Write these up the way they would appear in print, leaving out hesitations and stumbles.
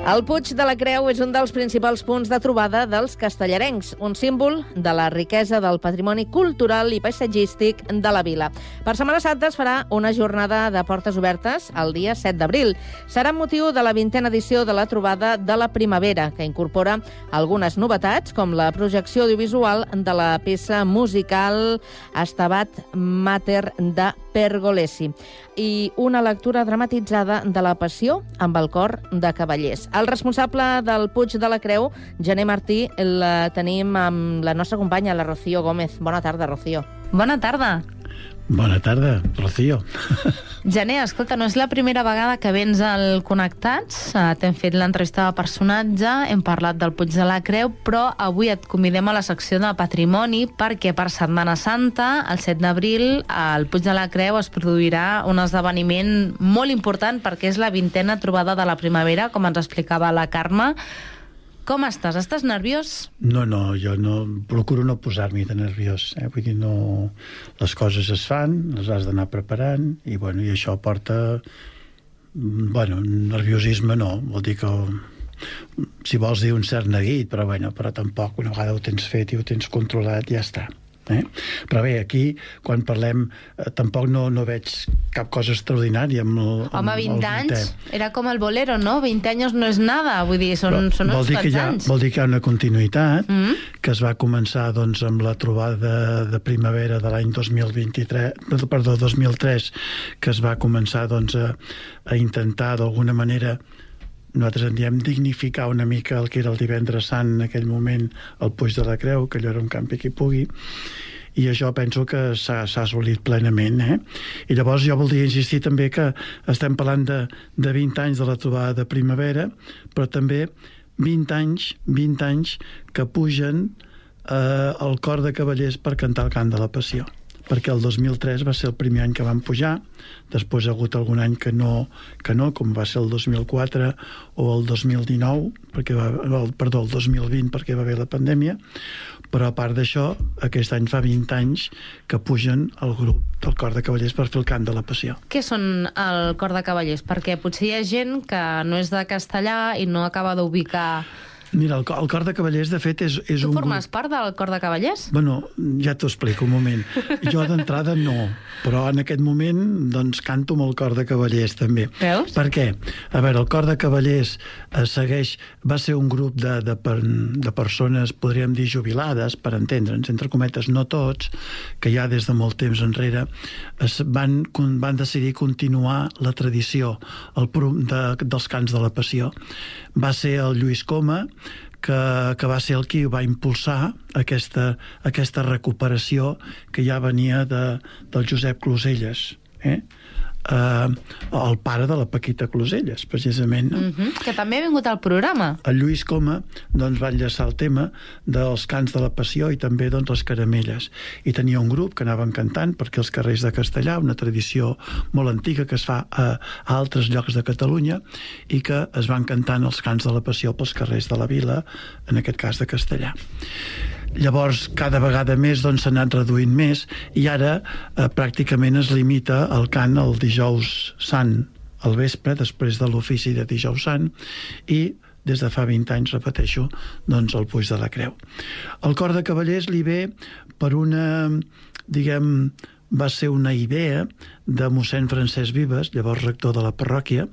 El Puig de la Creu és un dels principals punts de trobada dels castellarencs, un símbol de la riquesa del patrimoni cultural i paisatgístic de la vila. Per Setmana Santa es farà una jornada de portes obertes el dia 7 d'abril. Serà amb motiu de la 20a edició de la trobada de la primavera, que incorpora algunes novetats, com la projecció audiovisual de la peça musical Stabat Mater de Pergolesi i una lectura dramatitzada de la Passió amb el cor de cavallers. El responsable del Puig de la Creu, Gené Martí, la tenim amb la nostra companya, la Rocío Gómez. Bona tarda, Rocío. Bona tarda. Bona tarda, Rocío. Gené, escolta, no és la primera vegada que vens al Connectats. T'hem fet l'entrevista de personatge, hem parlat del Puig de la Creu, però avui et convidem a la secció de Patrimoni perquè per Setmana Santa, el 7 d'abril, al Puig de la Creu es produirà un esdeveniment molt important perquè és la 20a trobada de la primavera, com ens explicava la Carme. Com estàs? Estàs nerviós? No, jo no procuro no posar-m'hi de nerviós. Vull dir, no, les coses es fan, les has d'anar preparant, i això porta... nerviosisme no, vol dir que... Si vols dir un cert neguit, però tampoc, una vegada ho tens fet i ho tens controlat, ja està. Però bé, aquí, quan parlem, tampoc no veig cap cosa extraordinària amb el... Home, 20 anys, era com el bolero, no? 20 anys no és nada, vull dir, són uns quants anys. Vol dir que hi ha una continuïtat, que es va començar amb la trobada de primavera de l'any 2003, que es va començar a intentar d'alguna manera, nosaltres en diem dignificar una mica el que era el divendres sant en aquell moment al Puig de la Creu, que allò era un campi qui pugui, i això penso que s'ha assolit plenament. I llavors jo voldria insistir també que estem parlant de 20 anys de la trobada de primavera, però també 20 anys que pugen el cor de cavallers per cantar el cant de la Passió, perquè el 2003 va ser el primer any que van pujar, després ha hagut algun any que no, com va ser el 2004 o el 2019, el 2020 perquè va haver la pandèmia, però a part d'això, aquest any fa 20 anys que pugen el grup del Cor de Cavallers per fer el cant de la Passió. Què són el Cor de Cavallers? Perquè potser hi ha gent que no és de Castellà i no acaba d'ubicar... Mira, el Cor de Cavallers, de fet, és un... Tu formes part del Cor de Cavallers? Ja t'ho explico un moment. Jo d'entrada no, però en aquest moment canto amb el Cor de Cavallers també. Veus? Per què? A veure, el Cor de Cavallers va ser un grup de persones, podríem dir, jubilades, per entendre'ns, entre cometes, no tots, que ja des de molt temps enrere van decidir continuar la tradició dels cants de la Passió. Va ser el Lluís Coma, que va ser el qui va impulsar aquesta recuperació que ja venia del Josep Closelles, el pare de la Paquita Closelles, precisament. Que també ha vingut al programa. El Lluís Coma va enllaçar el tema dels cants de la Passió i també les caramelles. I tenia un grup que anaven cantant perquè els carrers de Castellà, una tradició molt antiga que es fa a altres llocs de Catalunya, i que es van cantant els cants de la Passió pels carrers de la vila, en aquest cas de Castellà. Llavors, cada vegada més s'ha anat reduint més, i ara pràcticament es limita el cant el dijous sant al vespre, després de l'ofici de dijous sant, i des de fa 20 anys, repeteixo, el Puig de la Creu. El Cor de Cavallers li ve per una, va ser una idea de mossèn Francesc Vives, llavors rector de la parròquia,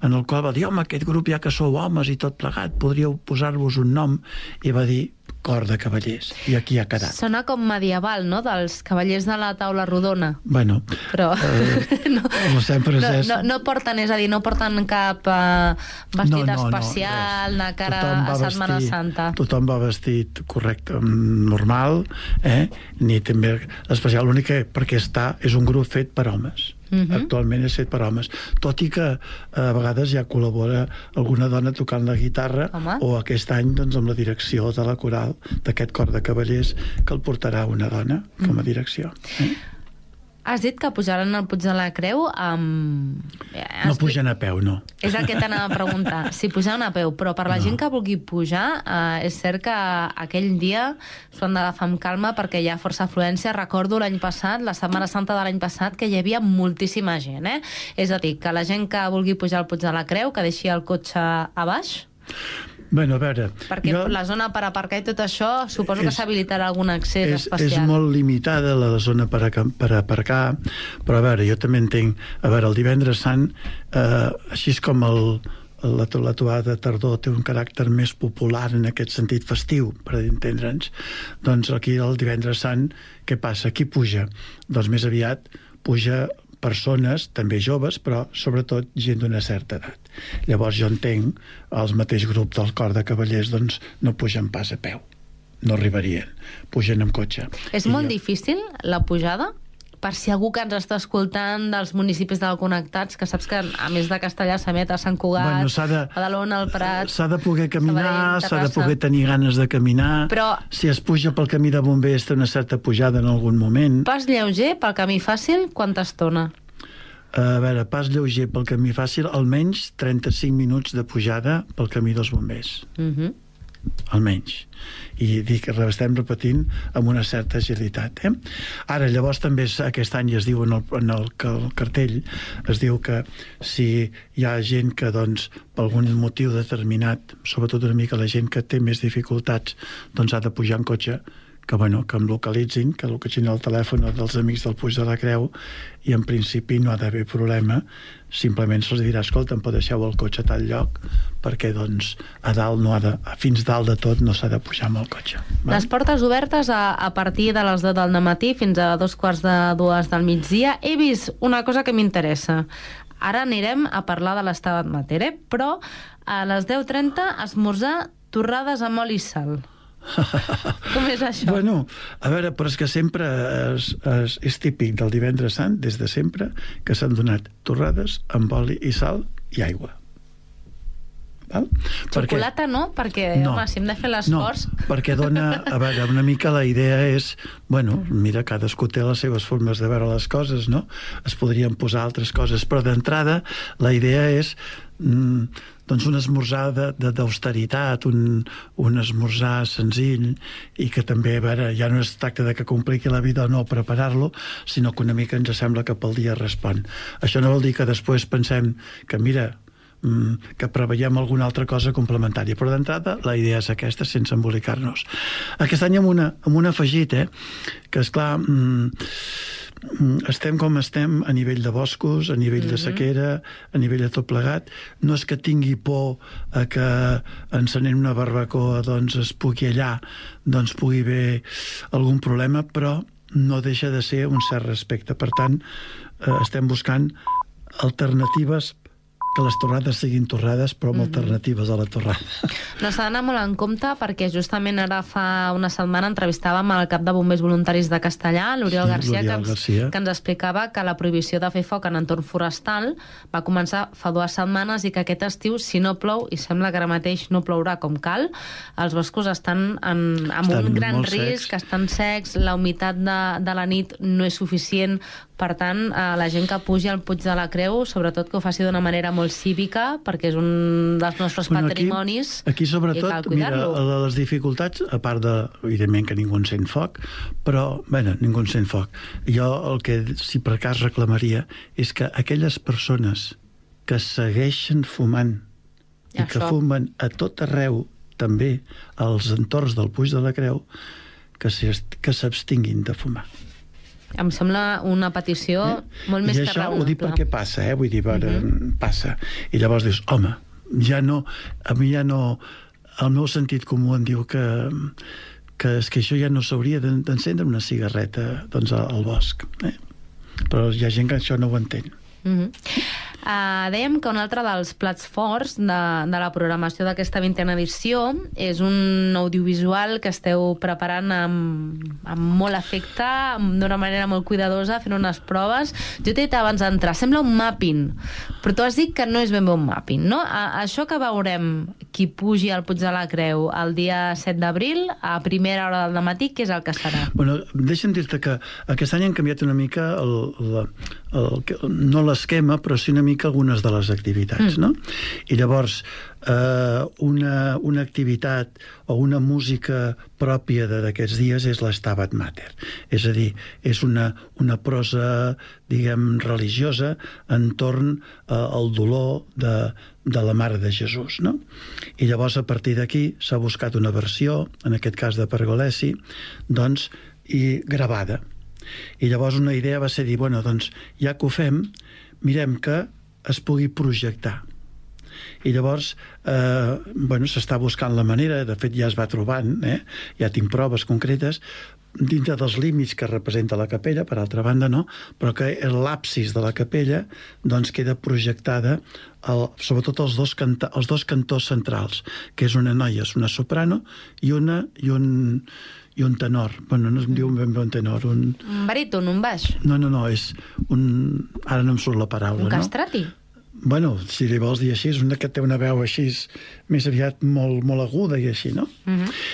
en el qual va dir, home, aquest grup ja que sou homes i tot plegat, podríeu posar-vos un nom, i va dir Cor de Cavallers, i aquí ha quedat. Sona com medieval, no?, dels cavallers de la taula rodona. Però no porten, és a dir, no porten cap vestit especial de cara a Setmana Santa. Tothom va vestit correcte, normal, ni també especial, l'únic que perquè és un grup fet per homes. Actualment és fet per homes, tot i que a vegades ja col·labora alguna dona tocant la guitarra, o aquest any amb la direcció de la coral d'aquest Cor de Cavallers, que el portarà una dona com a direcció. Has dit que pujaran al Puig de la Creu amb... No pugen a peu, no. És el que t'anava a preguntar, si pujaran a peu, però per la gent que vulgui pujar, és cert que aquell dia s'ho han d'agafar amb calma perquè hi ha força afluència. Recordo l'any passat, la Setmana Santa de l'any passat, que hi havia moltíssima gent, És a dir, que la gent que vulgui pujar al Puig de la Creu, que deixi el cotxe a baix, Bueno, a veure... Perquè la zona per aparcar i tot això, suposo que s'habilitarà algun accés especial. És molt limitada la zona per aparcar, però a veure, jo també entenc... A veure, el divendres sant, així com la trobada de tardor té un caràcter més popular en aquest sentit festiu, per entendre'ns, doncs aquí el divendres sant, què passa? Qui puja? Doncs més aviat puja persones, també joves, però sobretot gent d'una certa edat. Llavors jo entenc els mateix grup del cor de cavallers doncs no pugen pas a peu, no arribarien, pugen amb cotxe. És molt difícil la pujada? Per si algú que ens està escoltant dels municipis del Connectats, que saps que a més de Castellar s'emet a Sant Cugat, Badalona, el Prat... S'ha de poder caminar, s'ha de poder tenir ganes de caminar, però si es puja pel camí de bombers té una certa pujada en algun moment. Pas lleuger pel camí fàcil, quanta estona? A veure, pas lleuger pel camí fàcil, almenys 35 minuts de pujada pel camí dels bombers. Almenys. I dic, estem repetint amb una certa agilitat. Ara, llavors també aquest any es diu en el cartell, es diu que si hi ha gent que doncs per algun motiu determinat, sobretot una mica la gent que té més dificultats, doncs ha de pujar en cotxe, que em localitzin, que localitzin el telèfon dels amics del Puig de la Creu, i en principi no ha d'haver problema, simplement se'ls dirà, escolta, em pot deixeu el cotxe a tal lloc, perquè doncs a dalt fins dalt de tot no s'ha de pujar amb el cotxe. Les portes obertes a partir de les 10 del matí fins a 2:45 del migdia. He vist una cosa que m'interessa. Ara anirem a parlar de l'Estabat Mater, però a les 10:30 esmorzar torrades amb oli i sal. Com és això? Bueno, a veure, però és que sempre és típic del divendres sant, des de sempre, que s'han donat torrades amb oli i sal i aigua. Val? Xocolata no? Perquè, home, si hem de fer l'esforç... No, perquè dona, a veure, una mica la idea és, bueno, mira, cadascú té les seves formes de veure les coses, no? Es podrien posar altres coses, però d'entrada la idea és doncs un esmorzar d'austeritat, un esmorzar senzill, i que també, a veure, ja no es tracta de que compliqui la vida o no preparar-lo, sinó que una mica ens sembla que pel dia respon. Això no vol dir que després pensem que, mira, que preveiem alguna altra cosa complementària, però d'entrada la idea és aquesta, sense embolicar-nos. Aquest any amb un afegit, que esclar, estem com estem a nivell de boscos, a nivell de sequera, a nivell de tot plegat. No és que tingui por a que encenent una barbacoa doncs es pugui allà, doncs pugui haver algun problema, però no deixa de ser un cert respecte. Per tant, estem buscant alternatives, que les torrades siguin torrades, però amb alternatives a la torrada. No s'ha d'anar molt en compte, perquè justament ara fa una setmana entrevistàvem el cap de bombers voluntaris de Castellar, l'Oriol Garcia, que ens explicava que la prohibició de fer foc en entorn forestal va començar fa 2 setmanes i que aquest estiu, si no plou, i sembla que ara mateix no plourà com cal, els boscos estan amb un gran risc, estan secs, la humitat de la nit no és suficient. Per tant, la gent que pugi al Puig de la Creu, sobretot que ho faci d'una manera molt cívica, perquè és un dels nostres patrimonis. Aquí sobretot, mira, les dificultats, a part de, evidentment, que ningú encén foc, però, bueno, ningú encén foc. Jo el que, si per cas reclamaria, és que aquelles persones que segueixen fumant i que fumen a tot arreu, també als entorns del Puig de la Creu, que s'abstinguin de fumar. Em sembla una petició molt més que raonable. I això ho dic perquè passa, vull dir, passa. I llavors dius, home, a mi ja no... El meu sentit comú em diu que és que això ja no s'hauria d'encendre una cigarreta doncs, al bosc. Però hi ha gent que això no ho entén. Dèiem que un altre dels plats forts de la programació d'aquesta 20a edició és un audiovisual que esteu preparant amb molt afecte, d'una manera molt cuidadosa, fent unes proves. Jo t'he dit abans d'entrar, sembla un mapping, però tu has dit que no és ben bé un mapping, no? Això que veurem qui pugi al Puig de la Creu el dia 7 d'abril, a primera hora del matí, què és el que serà? Bueno, deixa'm dir-te que aquest any han canviat una mica no l'esquema, però sí una mica algunes de les activitats, no? I llavors, una activitat o una música pròpia d'aquests dies és l'Stabat Mater. És a dir, és una prosa, diguem, religiosa entorn al dolor de la Mare de Jesús, no? I llavors, a partir d'aquí, s'ha buscat una versió, en aquest cas de Pergolesi, doncs, i gravada. I llavors una idea va ser dir, bueno, doncs, ja que ho fem, mirem que es pugui projectar. I llavors, s'està buscant la manera, de fet ja es va trobant, ja tinc proves concretes, dintre dels límits que representa la capella, per altra banda no, però que l'absis de la capella doncs queda projectada sobretot els dos cantors centrals, que és una noia, és una soprano i un tenor. Bueno, no es diu ben bé un tenor. Un baríton, un baix? No, és un... Ara no em surt la paraula, un castrati? Bueno, si li vols dir així, és una que té una veu així, més aviat molt aguda i així, no?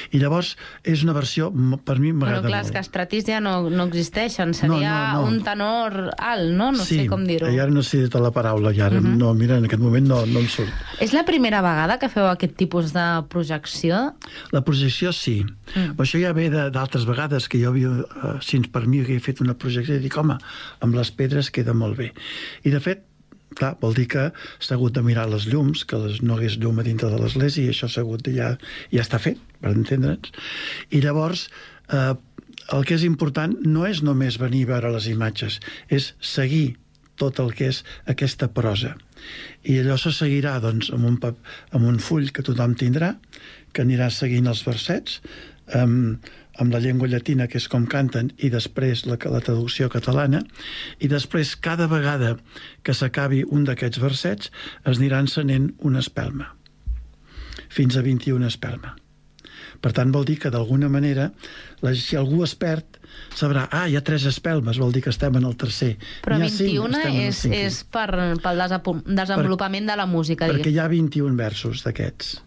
I llavors és una versió, per mi m'agrada molt. Clar, els castratis ja no existeixen, seria un tenor alt, no? No sé com dir-ho. Sí, ara no sé la paraula, i ara no, mira, en aquest moment no em surt. És la primera vegada que feu aquest tipus de projecció? La projecció sí. Això ja ve d'altres vegades que jo havia, si per mi havia fet una projecció, i dic, home, amb les pedres queda molt bé. I de fet, clar, vol dir que s'ha hagut de mirar les llums, que no hagués llum a dintre de l'església, i això s'ha hagut de ja està fet, per entendre'ns. I llavors, el que és important no és només venir a veure les imatges, és seguir tot el que és aquesta prosa. I allò se seguirà, doncs, amb un full que tothom tindrà, que anirà seguint els versets, amb la llengua llatina, que és com canten, i després la traducció catalana, i després cada vegada que s'acabi un d'aquests versets es anirà encenent una espelma, fins a 21 espelma. Per tant, vol dir que d'alguna manera, si algú es perd, sabrà, hi ha 3 espelmes, vol dir que estem en el tercer. Però 21 és pel desenvolupament de la música. Perquè hi ha 21 versos d'aquests.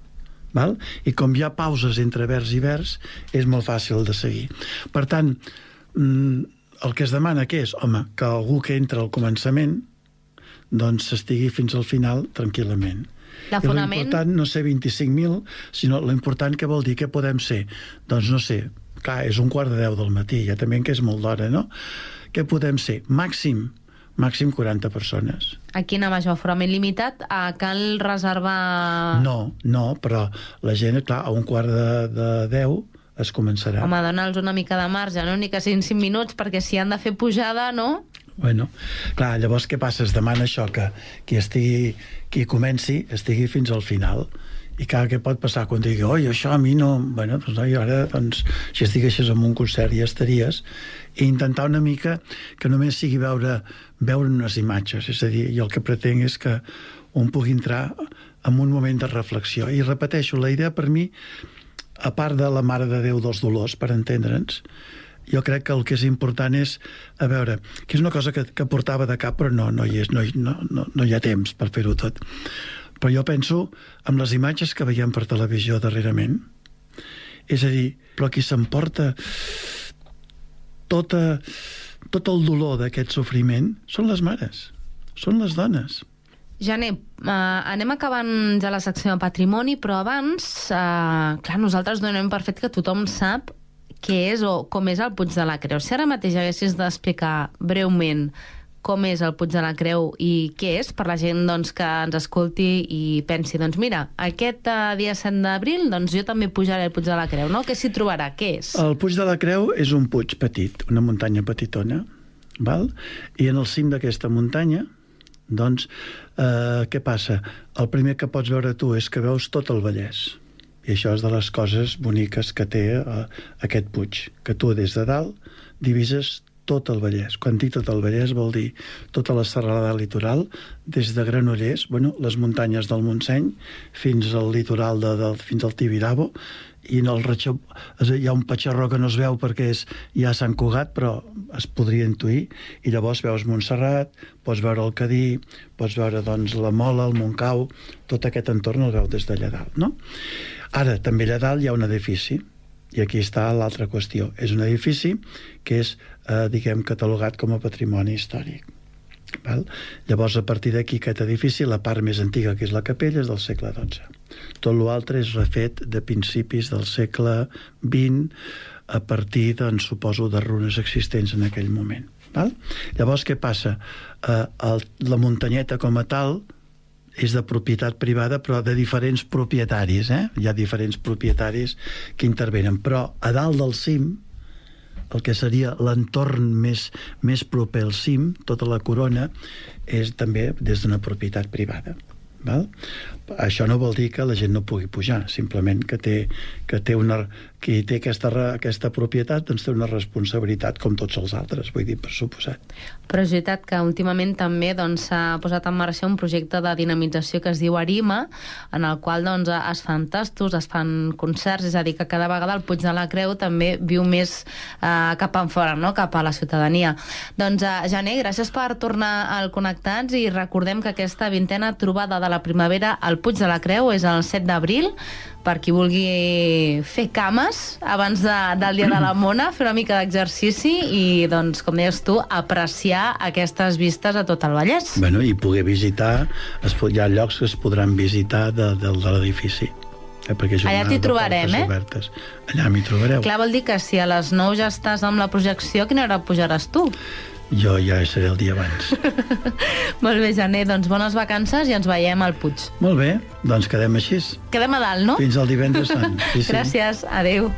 Val? I com hi ha pauses entre vers i vers, és molt fàcil de seguir. Per tant, el que es demana que és, home, que algú que entra al començament doncs s'estigui fins al final tranquil·lament. L'important no ser 25.000, sinó l'important que vol dir que podem ser, doncs no sé, clar, és 1:15 del matí, ja també que és molt d'hora, no? Què podem ser? Màxim 40 persones. Aquí en major aforament limitat, cal reservar... No, però la gent, clar, a 1:15 es començarà. Home, dona'ls una mica de marge, no? Ni que siguin 5 minuts, perquè si han de fer pujada, no? Bueno, clar, llavors què passa? Es demana això, que qui comenci estigui fins al final. I clar, què pot passar quan digui, oi, això a mi no... Bueno, doncs no, i ara, doncs, si estiguessis en un concert ja estaries. I intentar una mica que només sigui veure unes imatges. És a dir, jo el que pretenc és que un pugui entrar en un moment de reflexió. I repeteixo, la idea per mi, a part de la Mare de Déu dels Dolors, per entendre'ns, jo crec que el que és important és, a veure, que és una cosa que portava de cap, però no hi ha temps per fer-ho tot. Però jo penso en les imatges que veiem per televisió darrerament. És a dir, però qui s'emporta tot el dolor d'aquest sofriment són les mares, són les dones. Jané, anem acabant ja la secció de patrimoni, però abans, clar, nosaltres donem per fet que tothom sap què és o com és el Puig de la Creu. Si ara mateix haguessis d'explicar breument com és el Puig de la Creu i què és, per la gent doncs, que ens escolti i pensi, doncs mira, aquest dia 7 d'abril doncs jo també pujaré al Puig de la Creu, no? Què s'hi trobarà? Què és? El Puig de la Creu és un puig petit, una muntanya petitona, val? I en el cim d'aquesta muntanya, doncs, què passa? El primer que pots veure tu és que veus tot el Vallès. I això és de les coses boniques que té aquest puig, que tu des de dalt divises tot el Vallès. Quan dic tot el Vallès vol dir tota la serralada litoral, des de Granollers, les muntanyes del Montseny, fins al litoral, fins al Tibidabo, i en el hi ha un patxarró que no es veu perquè és ja Sant Cugat, però es podria intuir, i llavors veus Montserrat, pots veure el Cadí, pots veure doncs, la Mola, el Montcau, tot aquest entorn el veu des d'allà dalt, no? Ara, també allà dalt hi ha un edifici, i aquí està l'altra qüestió. És un edifici que és, catalogat com a patrimoni històric. Val? Llavors, a partir d'aquí, aquest edifici, la part més antiga, que és la capella, és del segle XII. Tot l'altre és refet de principis del segle XX, a partir, doncs, suposo, de runes existents en aquell moment. Val? Llavors, què passa? La muntanyeta com a tal és de propietat privada, però de diferents propietaris. Hi ha diferents propietaris que intervenen. Però a dalt del cim, el que seria l'entorn més proper al cim, tota la corona, és també des d'una propietat privada. Val? Això no vol dir que la gent no pugui pujar, simplement que qui té aquesta propietat doncs té una responsabilitat com tots els altres, vull dir, per suposat. Però és veritat que últimament també s'ha posat en marxa un projecte de dinamització que es diu Arima, en el qual es fan tastos, es fan concerts, és a dir, que cada vegada el Puig de la Creu també viu més cap enfora, no? Cap a la ciutadania. Doncs, Gener, gràcies per tornar al Connectats i recordem que aquesta 20a trobada de la primavera al Puig de la Creu és el 7 d'abril, per qui vulgui fer cames abans del Dia de la Mona, fer una mica d'exercici i, doncs, com deies tu, apreciar aquestes vistes a tot el Vallès. Bueno, i poder visitar, hi ha llocs que es podran visitar de l'edifici. Allà t'hi trobarem, obertes. Allà m'hi trobareu. Clar, vol dir que si a les 9 ja estàs amb la projecció, a quina hora pujaràs tu? Jo ja seré el dia abans. Molt bé, Gener, doncs bones vacances i ens veiem al Puig. Molt bé, doncs quedem així. Quedem a dalt, no? Fins al divendres sant. Sí. Gràcies, adeu.